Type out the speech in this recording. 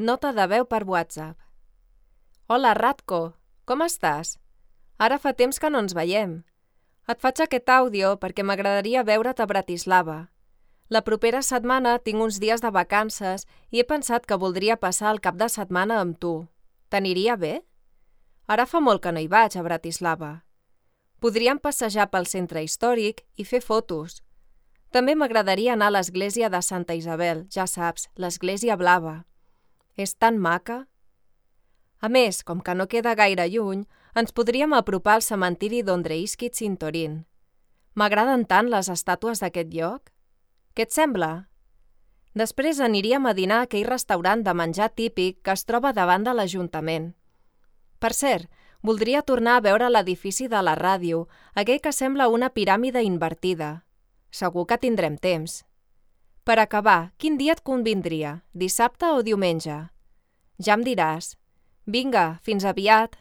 Nota de veu per WhatsApp. Hola, Ratko, com estàs? Ara fa temps que no ens veiem. Et faig aquest àudio perquè m'agradaria veure't a Bratislava. La propera setmana tinc uns dies de vacances i he pensat que voldria passar el cap de setmana amb tu. T'aniria bé? Ara fa molt que no hi vaig, a Bratislava. Podríem passejar pel centre històric i fer fotos. També m'agradaria anar a l'església de Santa Isabel, ja saps, l'església blava. És tan maca. A més, com que no queda gaire lluny, ens podríem apropar al cementiri d'Ondřejiski Cintorín. M'agraden tant les estàtues d'aquest lloc. Què et sembla? Després aniríem a dinar a aquell restaurant de menjar típic que es troba davant de l'Ajuntament. Per cert, voldria tornar a veure l'edifici de la ràdio, aquell que sembla una piràmide invertida. Segur que tindrem temps. Per acabar, quin dia et convindria, dissabte o diumenge? Ja em diràs. Vinga, fins aviat!